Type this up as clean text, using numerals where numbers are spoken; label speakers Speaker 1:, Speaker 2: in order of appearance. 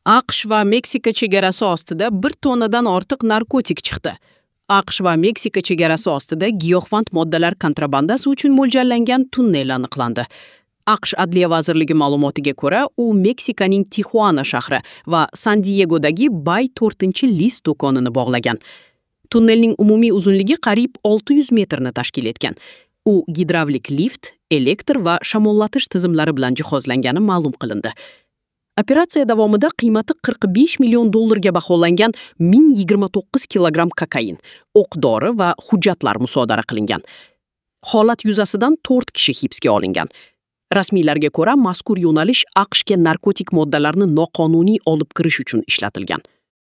Speaker 1: AQSh va Meksika chegarasi ostida 1 tonnadan ortiq narkotik chiqdi. AQSh va Meksika chegarasi ostida giyohvand moddalar kontrabandasi uchun mo'ljallangan tunnel aniqlandi. AQSh Adliya vazirligi ma'lumotiga ko'ra, u Meksikaning Tixuana shahri va San Diegodagi Bay 4-list do'konini bog'lagan. Tunnelning umumiy uzunligi qariyb 600 metrni tashkil etgan. U gidravlik lift, elektr va shamollatish tizimlari bilan jihozlangani ma'lum qilindi. Operatsiya davomida qiymati 45 million dollarga baholangan 1029 kilogramm kokain, o'q-dori va hujjatlar musodara qilingan. Holat yuzasidan 4 kishi hibsga olingan. Rasmiylarga ko'ra, mazkur yo'nalish AQShga narkotik moddalarni noqonuniy olib kirish uchun ishlatilgan.